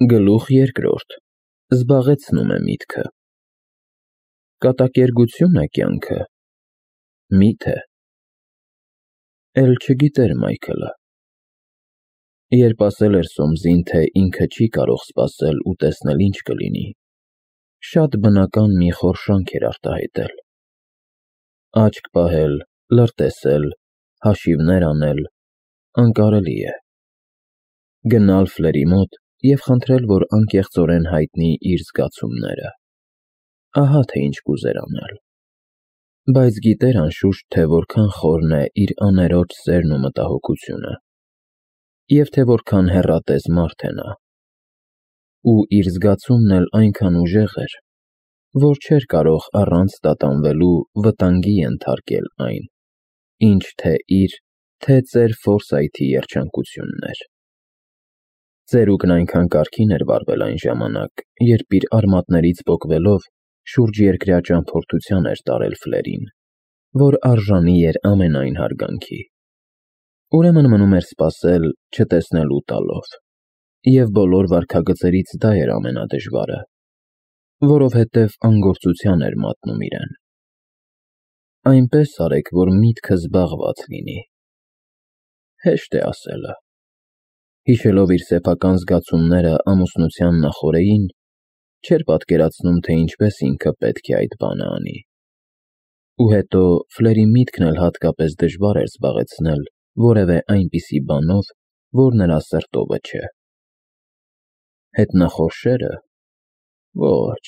Գլուխ երկրորդ. Զբաղեցնում է միտքը։ Կատակերգություն է կյանքը, մի՞թե։ Էլ չգիտեր Մայքլը։ Երբ ասել էր Սոմսին, թե ինքը չի կարող սպասել ու տեսնել ինչ կլինի, շատ բնական մի խորշանք էր արտահայտել։ Աչք պահել, լրտեսել, հաշիվներ անել անկարելի է։ Գնալ Ֆլերի մոտ և խնդրել, որ անկեղծորեն հայտնի իր զգացումները։ Ահա թե ինչ կուզեր անել։ Բայց գիտեր անշուշտ, թե որքան խորն է իր աներոջ սերն ու մտահոգությունը, և թե որքան հեռատես մարդ է նա։ Ու իր զգացումն էլ այնքան ուժեղ էր, որ չէր կարող առանց տատանվելու վտանգի ենթարկել այն, ինչ թե իր, թե ծեր Ֆորսայթի երջանկությունն էր։ Ծերուկն այնքան կարգին էր վարվել այն ժամանակ, երբ իր արմատներից պոկվելով շուրջերկրյա ճամփորդության էր տարել Ֆլերին, որ արժանի էր ամենայն հարգանքի։ Ուրեմն մնում էր սպասել, չտեսնելու տալով, և բոլոր վարքագծերից դա էր ամենադժվարը, որովհետև անգործության էր մատնում իրեն։ Այնպես արեք, որ միտքը զբաղված լինի։ Հեշտ է ասելը։ Հիշելով իր սեփական զգացումները ամուսնության նախօրեին, չէր պատկերացնում, թե ինչպես ինքը պետք է այդ բանը անի։ Ու հետո Ֆլերի միտքն էլ հատկապես դժվար էր զբաղեցնել որևէ այնպիսի բանով, որ նրա սրտովը չէ։ Հետնախորշերը։ Ոչ։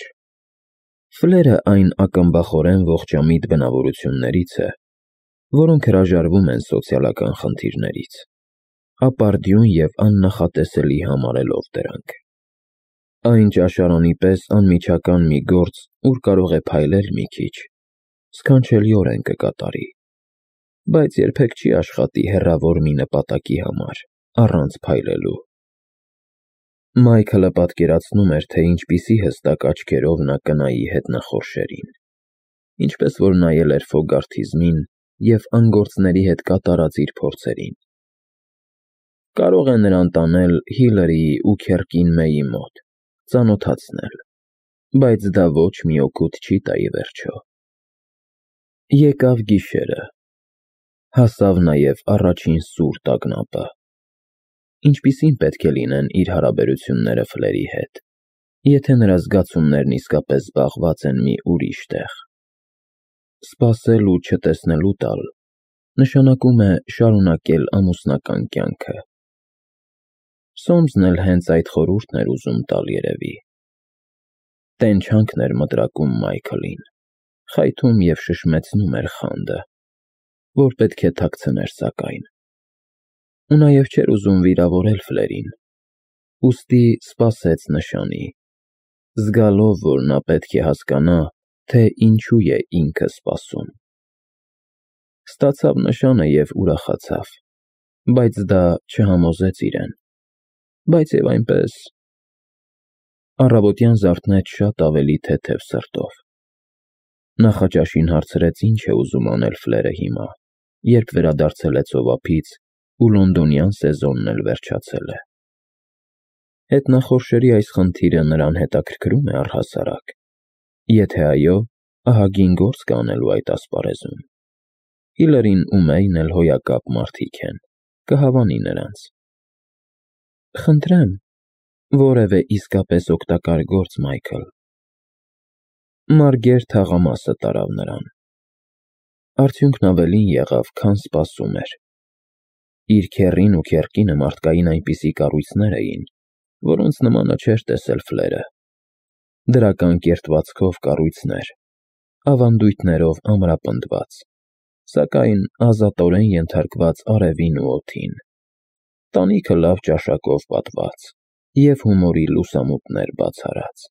Ֆլերը այն ակմբախորեն ողջամիտ բնավորություններից է, որոնք հրաժարվում են սոցիալական խնդիրներից, ապարդյուն և աննախատեսելի համարելով դրանք։ Այն ճաշարանի պես անմիջական մի գործ, ուր կարող է փայլել մի քիչ, սքանչելիորեն կկատարի, բայց երբեք չի աշխատի հեռավոր մի նպատակի համար, առանց փայլելու։ Մայքլը պատկերացնում էր, թե ինչպիսի հստակ աչքերով նա կնայի հետնախորշերին, ինչպես որ նայել էր Ֆոգարթիզմին և անգործների հետ կատարած իր փորձերին։ Կարող է նրան տանել Հիլարիի ու Քերկին Մեյի մոտ, ծանոթացնել, բայց դա ոչ մի օգուտ չի տա ի վերջո։ Եկավ գիշերը։ Հասավ նաև առաջին սուր տագնապը։ Ինչպիսին պետք է լինեն իր հարաբերությունները Ֆլերի հետ, եթե նրա զգացումներն իսկապես զբաղված են մի ուրիշ տեղ։ Սպասել ու չտեսնելու տալ նշանակում է շարունակել ամուսնական կյանքը։ Սոմսն էլ հենց այդ խորհուրդն էր ուզում տալ երևի։ Տենչանքն էր մտրակում Մայքլին, խայթում և շշմեցնում էր խանդը, որ պետք է թաքցներ սակայն։ Ու նաև չէր ուզում վիրավորել Ֆլերին, ուստի սպասեց նշանի, զգալով, որ նա պետք է հասկանա, թե ինչու է ինքը սպասում։ Ստացավ նշանը և ուրախացավ, բայց դա չհամոզեց իրեն, բայց և այնպես… Առավոտյան զարթնեց շատ ավելի թեթև սրտով։ Նախաճաշին հարցրեց ինչ է ուզում անել Ֆլերը հիմա, երբ վերադարձել է ծովափից ու լոնդոնյան սեզոնն էլ վերջացել է։ Հետնախորշերի այս խնդիրը նրան հետաքրքրում է առհասարակ։ Եթե այո, ահագին գործ կա անելու այդ ասպարեզում։ Հիլարին ու Մեյն էլ հոյակապ մարդիկ են, կհավանի նրանց։ Խնդրեմ, որևէ իսկապես օգտակար գործ, Մայքլ։ Մարգեր թաղամասը տարավ նրան։ Արդյունքն ավելին եղավ, քան սպասում էր։ Իր քեռին ու Քերկինը մարդկային այնպիսի կառույցներ էին, որոնց նմանը չէր տեսել Ֆլերը։ Դրական կերտվածքով կառույցներ, ավանդույթներով ամրապնդված, սակայն ազատորեն ենթարկված արևին ու օդին, տանիքը լավ ճաշակով պատված և հումորի լուսամուտներ բացառած։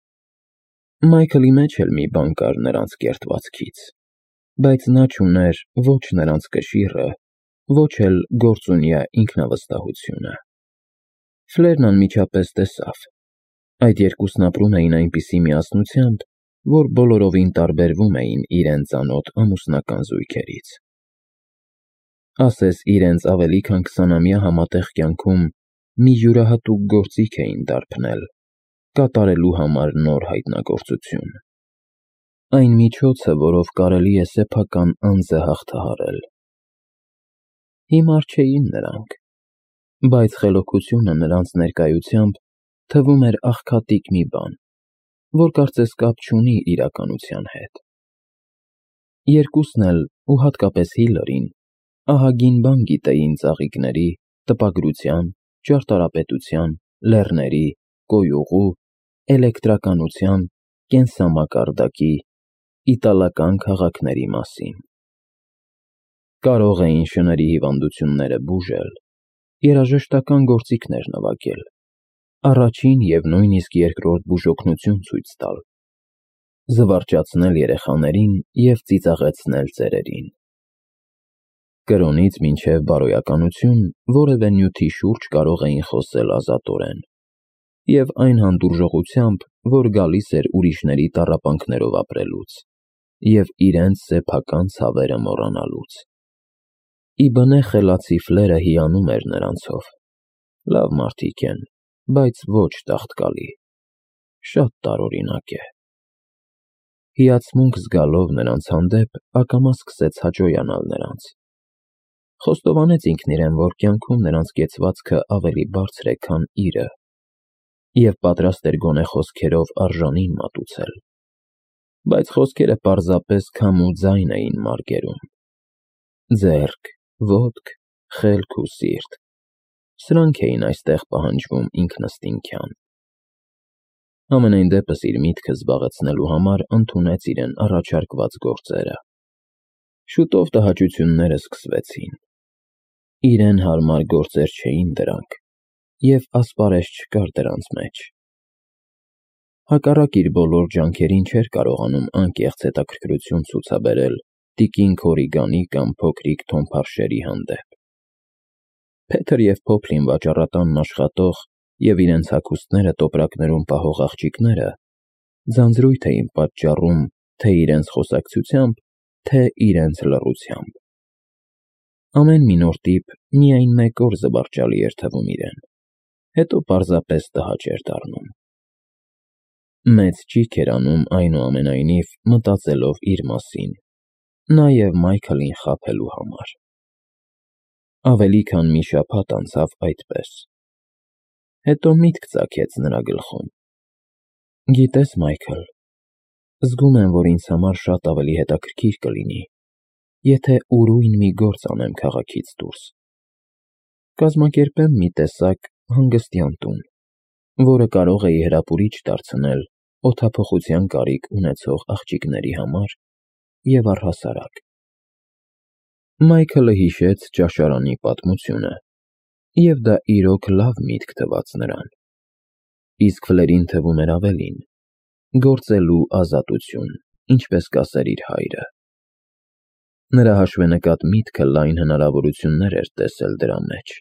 Մայքլի մեջ էլ մի բան կար նրանց կերտվածքից, բայց նա չուներ ոչ նրանց կշիռը, ոչ էլ գործունյա ինքնավստահությունը։ Ֆլերն անմիջապես տեսավ. այդ երկուսն ապրում էին այնպիսի միասնությամբ, որ բոլորովին տարբերվում էին իրենց ծանոթ ամուսնական զույգերից։ Ասես իրենց ավելի քան 20-ամյա համատեղ կյանքում մի յուրահատուկ գործիք էին դարբնել կատարելու համար նոր հայտնագործություն։ Այն միջոցը, որով կարելի է սեփական անձը հաղթահարել։ Հիմար չէին նրանք, բայց խելոքությունը նրանց ներկայությամբ թվում էր աղքատիկ մի բան, որ կարծես կապ չունի իրականության հետ։ Երկուսն էլ, ու հատկապես Հիլարին, ահագին բան գիտեին ծաղիկների, տպագրության, ճարտարապետության, լեռների, կոյուղու, էլեկտրականության, կենսամակարդակի, իտալական քաղաքների մասին։ Կարող էին շների հիվանդությունները բուժել, երաժշտական գործիքներ նվագել, առաջին և նույնիսկ երկրորդ բուժօգնություն ցույց տալ, զվարճացնել երեխաներին և ծիծաղեցնել ծերերին։ Կրոնից մինչև բարոյականություն որևէ նյութի շուրջ կարող էին խոսել ազատորեն, և այն հանդուրժողությամբ, որ գալիս էր ուրիշների տառապանքներով ապրելուց և իրենց սեփական ցավերը մոռանալուց։ Ի բնե խելացի Ֆլերը հիանում էր նրանցով։ Լավ մարդիկ են, բայց ոչ տաղտկալի, շատ տարօրինակ է։ Հիացմունք զգալով նրանց հանդեպ, ակամա սկսեց հաճոյանալ նրանց։ Խոստովանեց ինքն իրեն, որ կյանքում նրանց կեցվածքը ավելի բարձր է, քան իրը, և պատրաստ էր գոնե խոսքերով արժանին մատուցել։ Բայց խոսքերը պարզապես քամ ու ձայն էին մարգերում։ Ձեռք, ոտք, խելք ու սիրտ, սրանք էին այստեղ պահանջվում ինքնըստինքյան։ Համենայն դեպս իր միտքը զբաղեցնելու համար ընդունեց իրեն առաջարկված գործերը։ Շուտով տհաճությունները սկսվեցին։ Իրեն հարմար գործեր չէին դրանք, և ասպարեզ չկար դրանց մեջ։ Հակառակ իր բոլոր ջանքերին չէր կարողանում անկեղծ հետաքրքրություն ցուցաբերել տիկին Քորիգանի կամ փոքրիկ Թոմ Փարշերի հանդեպ։ Փեթր և Փոփլին վաճառատանն աշխատող և իրենց հագուստները տոպրակներում պահող աղջիկները ձանձրույթ էին պատճառում թե իրենց խոսակցությամբ, թե իրենց լռությամբ։ Ամեն մի նոր տիպ միայն մեկ օր զվարճալի էր թվում իրեն, հետո պարզապես տհաճ էր դառնում։ Մեծ ճիգ էր անում այնուամենայնիվ մտածելով իր մասին, նաև Մայքլին խաբելու համար։ Ավելի քան մի շաբաթ անցավ այդպես։ Հետո միտք ծագեց նրա գլխում։ Գիտես, Մայքլ, զգում եմ, որ ինձ համար շատ ավելի հետաքրքիր կլինի, եթե ուրույն մի գործ անեմ քաղաքից դուրս։ Կազմակերպեմ մի տեսակ հանգստյան տուն, որը կարող էի հրապուրիչ դարձնել օդափոխության կարիք ունեցող աղջիկների համար և առհասարակ։ Մայքլը հիշեց ճաշարանի պատմությունը, և դա իրոք լավ միտք թվաց նրան։ Իսկ Ֆլերին թվում էր ավելին՝ գործելու ազատություն, ինչպես կասեր իր հայրը։ Նրա հաշվենկատ միտքը լայն հնարավորություններ էր տեսել դրա մեջ։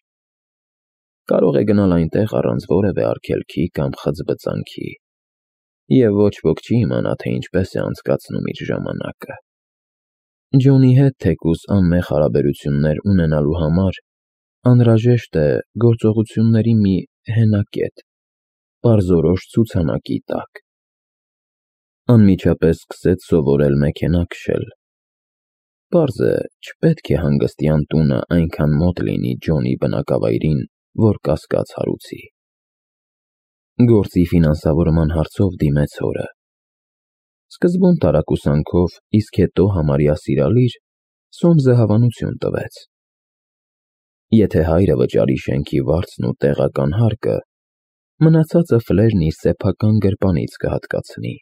Կարող է գնալ այնտեղ առանց որևէ արգելքի կամ խծբծանքի, և ոչ ոք չի իմանա, թե ինչպես է անցկացնում իր ժամանակը։ Ջոնի հետ թեկուզ անմեղ հարաբերություններ ունենալու համար անհրաժեշտ է գործողությունների մի հենակետ, պարզորոշ ցուցանակի տակ։ Անմիջապես սկսեց սովորել մեքենա քշել։ Պարզ է, չպետք է հանգստյան տունը այնքան մոտ լինի Ջոնի բնակավայրին, որ կասկած հարուցի։ Գործի ֆինանսավորման հարցով դիմեց հորը։ Սկզբում տարակուսանքով, իսկ հետո համարյա սիրալիր, Սոմսը հավանություն տվեց։ Եթե հայրը վճարի շենքի վարձն ու տեղական հարկը, մնացածը Ֆլերն իր սեփական գրպանից կհատկացնի։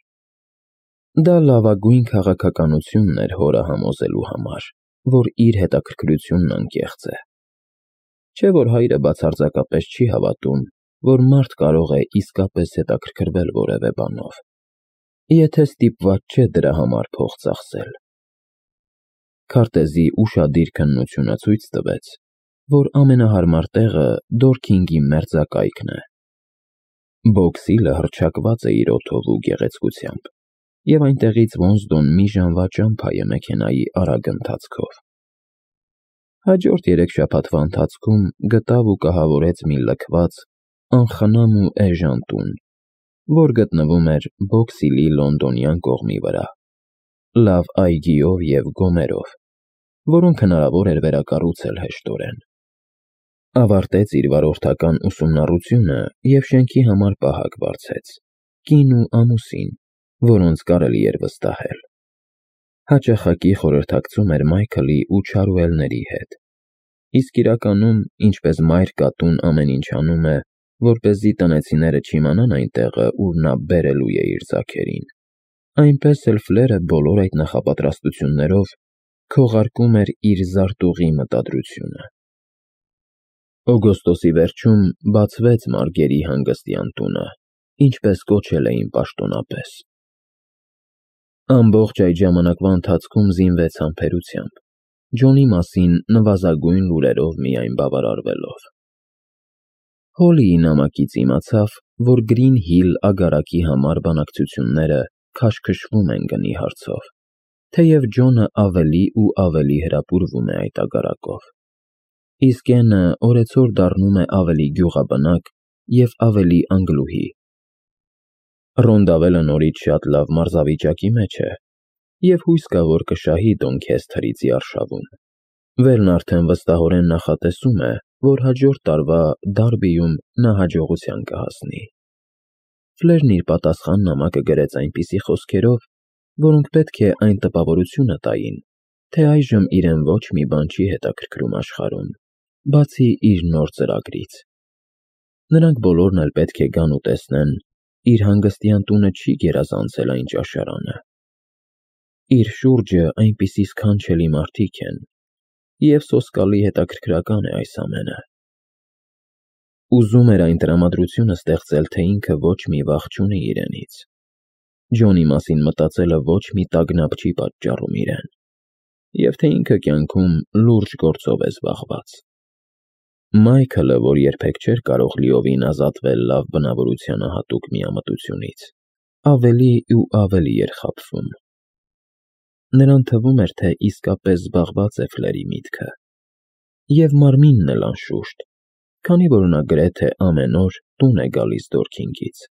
Դա լավագույն քաղաքականությունն էր հորը համոզելու համար, որ իր հետաքրքրությունն անկեղծ է։ Չէ՞ որ հայրը բացարձակապես չի հավատում, որ մարդ կարող է իսկապես հետաքրքրվել որևէ բանով, եթե ստիպված չէ դրա համար փող ծախսել։ Քարտեզի ուշադիր քննությունը ցույց տվեց, որ ամենահարմար տեղը Դորքինգի մերձակայքն է։ Բոքսիլը հռչակված է իր օդով ու գեղեցկությամբ, և այնտեղից Ոնսդոն մի ժամվա ճամփա է մեքենայի արագ ընթացքով։ Հաջորդ 3 շաբաթվա ընթացքում գտավ ու կահավորեց մի լքված, անխնամ ու էժան տուն, որ գտնվում էր Բոքսիլի լոնդոնյան կողմի վրա, լավ այգիով և գոմերով, որոնք հնարավոր էր վերակառուցել հեշտորեն։ Ավարտեց իր վարորդական ուսումնառությունը և շենքի համար պահակ վարձեց, կին ու ամուսին, որոնց կարելի էր վստահել։ Հաճախակի խորհրդակցում էր Մայքլի ու Չարուելների հետ, իսկ իրականում, ինչպես մայր կատուն ամեն ինչ անում է, որպեսզի տնեցիները չիմանան այն տեղը, ուր նա բերելու է իր ձագերին, այնպես էլ Ֆլերը բոլոր այդ նախապատրաստություններով քողարկում էր իր զարտուղի մտադրությունը։ Օգոստոսի վերջում բացվեց Մարգերի հանգստյան տունը, ինչպես կոչել էին պաշտոնապես։ Ամբողջ այդ ժամանակվա ընթացքում զինվեց համբերությամբ, Ջոնի մասին նվազագույն լուրերով միայն բավարարվելով։ Հոլիի նամակից իմացավ, որ Գրին Հիլ ագարակի համար բանակցությունները քաշքշվում են գնի հարցով, թեև Ջոնը ավելի ու ավելի հրապուրվում է այդ ագարակով, իսկ Էնը օրեցօր դառնում է ավելի գյուղաբնակ և ավելի անգլուհի։ Ռոնդավելը նորից շատ լավ մարզավիճակի մեջ է և հույս կա, որ կշահի Դոնքեսթրիցի արշավում։ Վերն արդեն վստահորեն նախատեսում է, որ հաջորդ տարվա Դարբիում նա հաջողության կհասնի։ Ֆլերն իր պատասխան նամակը գրեց այնպիսի խոսքերով, որոնք պետք է այն տպավորությունը տային, թե այժմ իրեն ոչ մի բան չի հետաքրքրում աշխարհում, բացի իր նոր ծրագրից։ Նրանք բոլորն էլ պետք է գան ու տեսնեն, իր հանգստյան տունը չի գերազանցել այն ճաշարանը։ Իր շուրջը այնպիսի սքանչելի մարդիկ են, և սոսկալի հետաքրքրական է այս ամենը։ Ուզում էր այն տրամադրությունը ստեղծել, թե ինքը ոչ մի վախ չունի իրենից։ Ջոնի մասին մտածելը ոչ մի տագնապ չի պատճառում իրեն, և թե ինքը կյանքում լուրջ գործով է զբաղված։ Մայքլը, որ երբեք չէր կարող լիովին ազատվել լավ բնավորությանը հատուկ միամտությունից, ավելի ու ավելի էր խաբվում։ Նրան թվում էր, թե իսկապես զբաղված է Ֆլերի միտքը, և մարմինն էլ անշուշտ, քանի որ նա գրեթե ամեն օր տուն է գալիս Դորքինգից,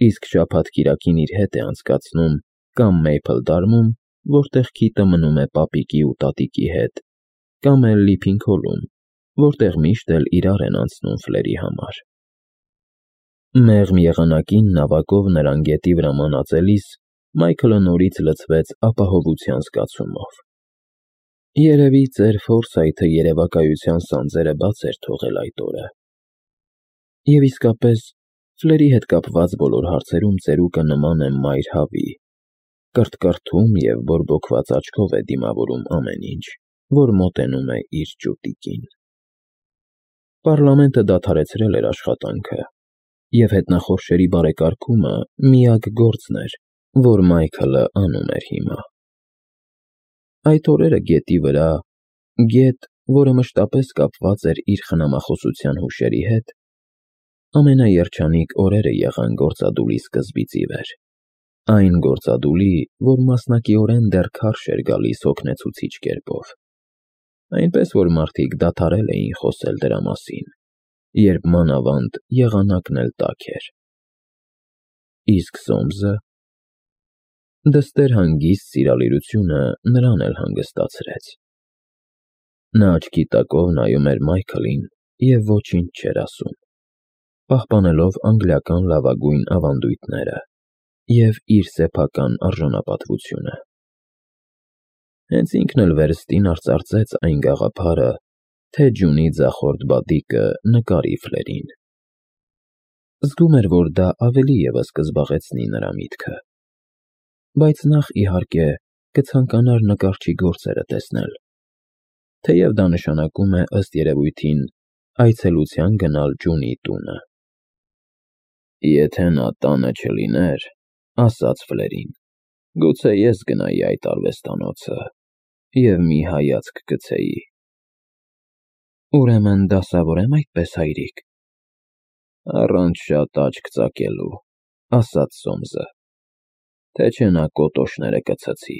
իսկ շաբաթ-կիրակին իր հետ է անցկացնում կամ Մեյփլդարմում, որտեղ Քիթը մնում է պապիկի ու տատիկի հետ, կամ էլ Լիփինգհոլում, որտեղ միշտ էլ իրար են անցնում Ֆլերի համար։ Մեղմ եղանակին նավակով նրան գետի վրա մանածելիս Մայքլը նորից լցվեց ապահովության զգացումով։ Երևի ծեր Ֆորսայթը երևակայության սանձերը բաց էր թողել այդ օրը։ Եվ իսկապես, Ֆլերի հետ կապված բոլոր հարցերում ծերուկը նման է մայր հավի, կրթկրթում և բորբոքված աչքով է դիմավորում ամեն ինչ, որ մոտենում է իր ճուտիկին։ Պառլամենտը դադարեցրել էր աշխատանքը, և հետնախորշերի բարեկարգումը միակ գործն էր, որ Մայքլը անում էր հիմա։ Այդ օրերը գետի վրա, գետ, որը մշտապես կապված էր իր խնամախոսության հուշերի հետ, ամենաերջանիկ օրերը եղան գործադուլի սկզբից ի վեր, այն գործադուլի, որ մասնակիորեն դեռ քարշ էր գալիս հոգնեցուցիչ կերպով, այնպես որ մարդիկ դադարել էին խոսել դրա մասին, երբ մանավանդ եղանակն էլ տաք էր։ Իսկ Սոմսը… Դստեր հանգիստ սիրալիրությունը նրան էլ հանգստացրեց։ Նա աչքի տակով նայում էր Մայքլին և ոչինչ չէր ասում, պահպանելով անգլիական լավագույն ավանդույթները և իր սեփական արժանապատվությունը։ Հենց ինքն էլ վերստին արծարծեց այն գաղափարը, թե ջունի ձախորդ բադիկը նկարի Ֆլերին։ Զգում էր, որ դա ավելի ևս կզբաղեցնի նրա միտքը, բայց նախ, իհարկե, կցանկանար նկարչի գործերը տեսնել, թեև դա նշանակում է, ըստ երևույթին, այցելության գնալ ջունի տունը։ Եթե նա տանը չլիներ, ասաց Ֆլերին, գուցե ես գնայի այդ արվեստանոցը և մի հայացք գցեի։ Ուրեմն դասավոր եմ այդպես, հայրիկ։ Առանց շատ աչք ծակելու, ասաց Սոմսը, թե չէ նա կոտոշները կցցի։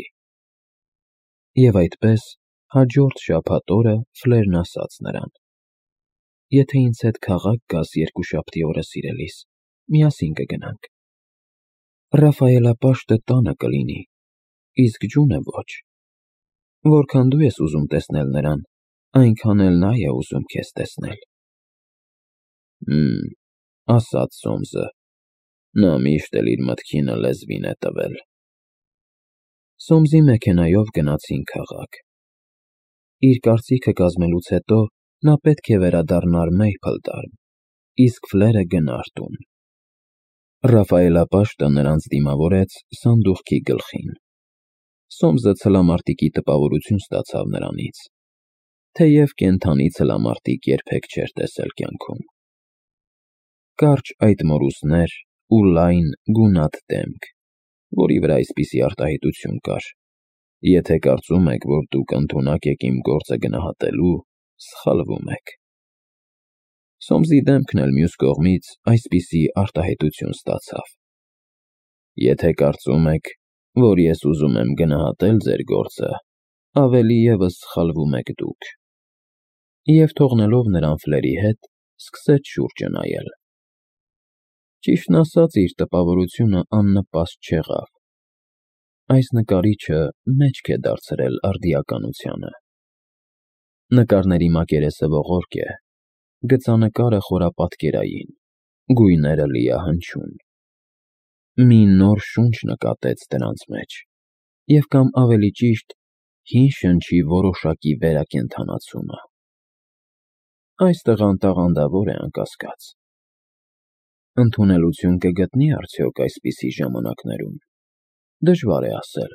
Եվ այդպես, հաջորդ շաբաթ օրը Ֆլերն ասաց նրան. Եթե ինձ հետ քաղաք գաս երկուշաբթի օրը, սիրելիս, միասին կգնանք։ Ռաֆայելապաշտը տանը կլինի, իսկ ջունը ոչ։ Որքան դու ես ուզում տեսնել նրան, այնքան էլ նա է ուզում քեզ տեսնել։ Ասաց Սոմսը, նա միշտ էլ իր մտքինը լեզվին է տվել։ Սոմսի մեքենայով գնացին քաղաք։ Իր կարծիքը կազմելուց հետո նա պետք է վերադառնար Մեյփլտաուն, իսկ Ֆլերը գնար տուն։ Ռաֆայելապաշտը նրանց դիմավորեց սանդուղքի գլխին։ Սոմսը ցլամարտիկի տպավորություն ստացավ նրանից, թեև կենդանի ցլամարտիկ երբեք չէր տեսել կյանքում։ Կարճ այդ մորուսներ ու լայն գունատ դեմք, որի վրա այսպիսի արտահայտություն կար։ Եթե կարծում եք, որ դուք ընդունակ եք իմ գործը գնահատելու, սխալվում եք։ Սոմսի դեմքն էլ մյուս կողմից այսպիսի արտահայտություն ստացավ։ Եթե կարծում եք, որ ես ուզում եմ գնահատել ձեր գործը, ավելի ևս սխալվում եք դուք։ Եվ թողնելով նրան Ֆլերի հետ, սկսեց շուրջը նայել։ Ճիշտն ասած, իր տպավորությունը աննպաստ չեղավ։ Այս նկարիչը մեջք է դարձրել արդիականությանը։ Նկարների մակերեսը ողորկ է, գծանկարը խորապատկերային, գույները լիահնչյուն։ Մի նոր շունչ նկատեց դրանց մեջ, և կամ ավելի ճիշտ, հին շնչի որոշակի վերակենդանացումը։ Այս տղան տաղանդավոր է, անկասկած։ Ընդունելություն կգտնի արդյոք այսպիսի ժամանակներում։ Դժվար է ասել։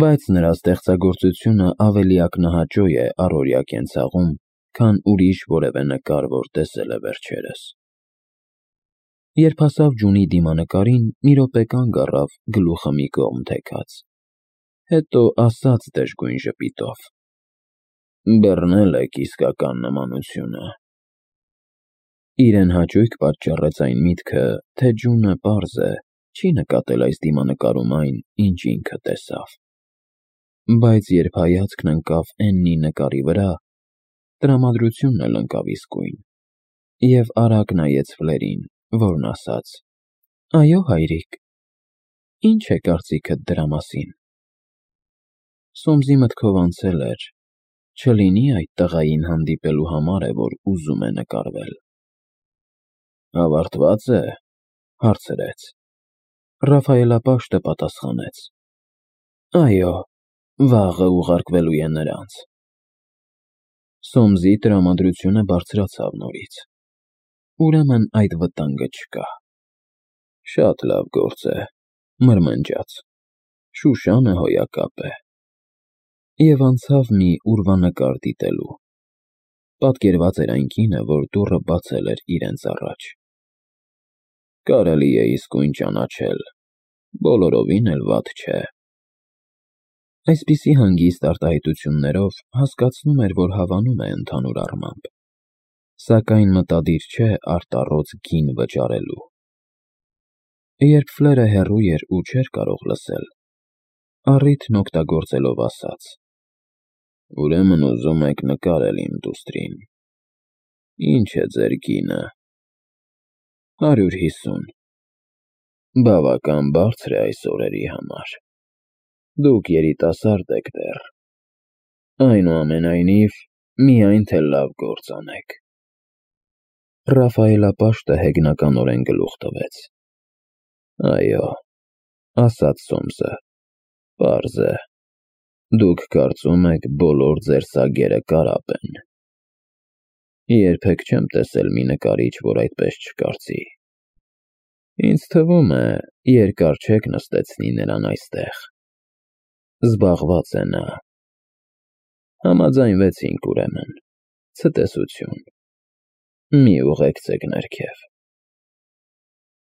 Բայց նրա ստեղծագործությունը ավելի ակնահաճո է առօրյա կենցաղում, քան ուրիշ որևէ նկար, որ տեսել է վերջերս։ Երբ հասավ ջունի դիմանկարին, մի րոպե կանգ առավ, գլուխը մի կողմ թեքած։ Հետո ասաց դժգույն ժպիտով. «Բռնել եք իսկական նմանությունը»։ Իրեն հաճույք պատճառեց այն միտքը, թե ջունը պարզ է, չի նկատել այս դիմանկարում այն, ինչ ինքը տեսավ։ Բայց երբ հայացքն ընկավ Էննի նկարի վրա, տրամադրությունն էլ ընկավ իսկույն, և արագ նայեց Ֆլերին, որն ասաց. «Այո, հայրիկ, ինչ է կարծիքդ դրա մասին»։ Սոմսի մտքով անցել էր. չլինի այդ տղային հանդիպելու համար է, որ ուզում է նկարվել։ Ավարտվա՞ծ է, հարցրեց։ Ռաֆայելապաշտը պատասխանեց. Այո, վաղը ուղարկվելու է նրանց։ Սոմսի տրամադրությունը բարձրացավ նորից։ Ուրեմն այդ վտանգը չկա։ Շատ լավ գործ է, մրմնջաց։ Շուշանը հոյակապ է։ Եվ անցավ մի ուրվանկար դիտելու։ Պատկերված էր այն կինը, որ դուռը բացել էր իրենց առաջ։ Կարելի է իսկույն ճանաչել, բոլորովին էլ վատ չէ։ Այսպիսի հանգիստ արտահայտություններով հասկացնում էր, որ հավանում է ընդհանուր առմամբ, սակայն մտադիր չէ արտառոց գին վճարելու։ Երբ Ֆլերը հեռու էր ու չէր կարող լսել, առիթն օգտագործելով ասաց. Ուրեմն ուզում եք նկարել իմ դուստրին։ Ինչ է ձեր գինը։ 150։ Բավական բարձր է այս օրերի համար։ Դուք երիտասարդ եք դեռ։ Այնուամենայնիվ, միայն թե լավ գործ անեք։ Ռաֆայելապաշտը հեգնականորեն գլուխ տվեց։ Այո, ասաց Սոմսը, պարզ է։ Դուք կարծում եք, բոլոր ձեր սագերը կարապ են։ Երբեք չեմ տեսել մի նկարիչ, որ այդպես չկարծի։ Ինձ թվում է, երկար չեք նստեցնի նրան այստեղ։ Զբաղված է նա։ Համաձայնվեցինք ուրեմն, ցտեսություն։ Մի ուղեկցեք ներքև։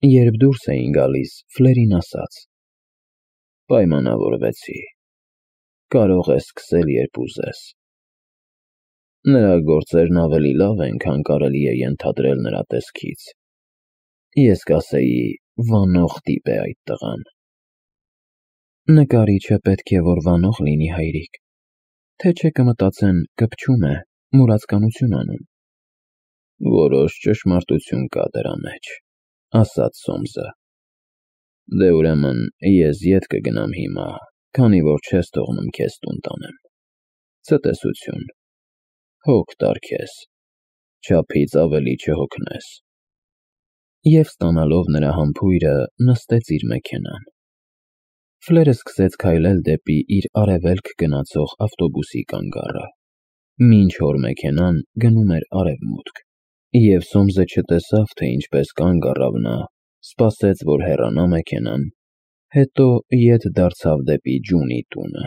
Երբ դուրս էին գալիս, Ֆլերին ասաց. Պայմանավորվեցի։ Կարող ես սկսել, երբ ուզես։ Նրա գործերն ավելի լավ են, քան կարելի է ենթադրել նրա տեսքից։ Ես կասեի, վանող տիպ է այդ տղան։ Նկարիչը պետք է որ վանող լինի, հայրիկ, թե չէ կմտածեն կպչում է, մուրացկանություն անում։ Որոշ ճշմարտություն կա դրա մեջ, ասաց Սոմսը։ Դե ուրեմն ես ետ կգնամ հիմա, քանի որ չես թողնում քեզ տուն տանեմ։ Ցտեսություն, հոգ տար քեզ, չափից ավելի չհոգնես։ Եվ ստանալով նրա համբույրը, նստեց իր մեքենան։ Ֆլերը սկսեց քայլել դեպի իր արևելք գնացող ավտոբուսի կանգառը, մինչ որ մեքենան գնում էր արևմուտք, և Սոմսը չտեսավ, թե ինչպես կանգ առավ նա, սպասեց, որ հեռանա մեքենան, հետո ետ դարձավ դեպի Ջունի տունը։